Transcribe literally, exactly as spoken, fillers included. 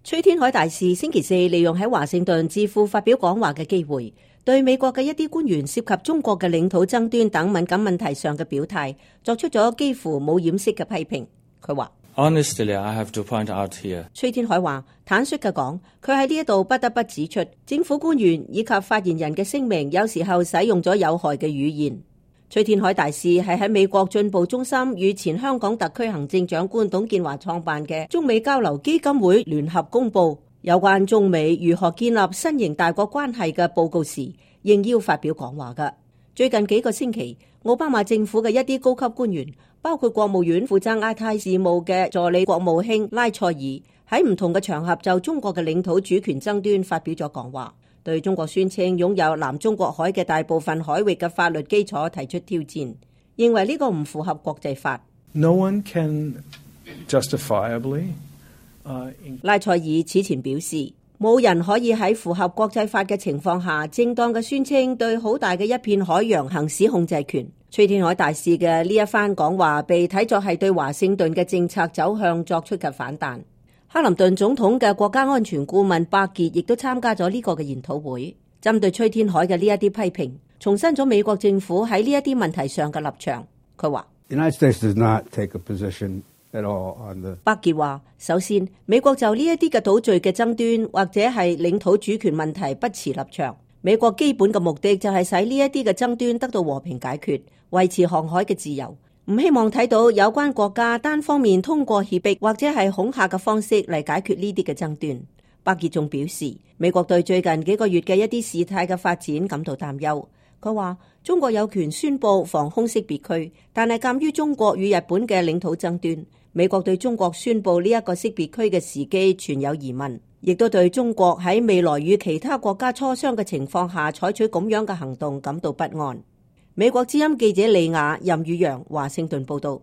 崔天凱大使星期四利用喺華盛頓智庫發表講話嘅機會，對美國嘅一啲官員涉及中國嘅領土爭端等敏感問題上嘅表態，作出咗幾乎冇掩飾嘅批評。佢話：Honestly, I have to point out here。崔天凱話，坦率嘅講，佢喺呢一度不得不指出，政府官員以及發言人嘅聲明有時候使用咗有害嘅語言。崔天凱大使係喺美國進步中心與前香港特區行政長官董建華創辦嘅中美交流基金會聯合公佈有關中美如何建立新型大國關係嘅報告時，應邀發表講話嘅。最近幾個星期，奧巴馬政府嘅一啲高級官員，包括國務院負責亞太事務嘅助理國務卿拉塞爾，喺唔同嘅場合就中國嘅領土主權爭端發表咗講話，對中國宣稱擁有南中國海嘅大部分海域嘅法律基礎提出挑戰，認為呢個唔符合國際法。No one can justifiably, uh, in... 拉塞爾此前表示，冇人可以喺符合國際法嘅情況下，正當嘅宣稱對好大嘅一片海洋行使控制權。崔天凱大使嘅呢一番講話被睇作係對華盛頓嘅政策走向作出嘅反彈。克林頓總統嘅國家安全顧問巴傑亦都參加咗呢個嘅研討會，針對崔天凱嘅呢一啲批評，重申咗美國政府喺呢一啲問題上嘅立場。佢話：United States does not take a position at all on the... 巴傑話：首先，美國就呢一啲嘅島嶼嘅爭端或者係領土主權問題不持立場。美國基本嘅目的就係使呢一啲嘅爭端得到和平解決，維持航海嘅自由。唔希望睇到有關國家單方面通過脅迫或者係恐嚇嘅方式嚟解決呢啲嘅爭端。巴傑仲表示，美國對最近幾個月嘅一啲事態嘅發展感到擔憂。佢話中國有權宣布防空識別區，但係鑑於中國與日本嘅領土爭端，美國對中國宣布呢一個識別區嘅時機存有疑問，亦都對中國喺未來與其他國家磋商嘅情況下採取咁樣嘅行動感到不安。美國之音記者李雅、任宇陽華盛頓報道。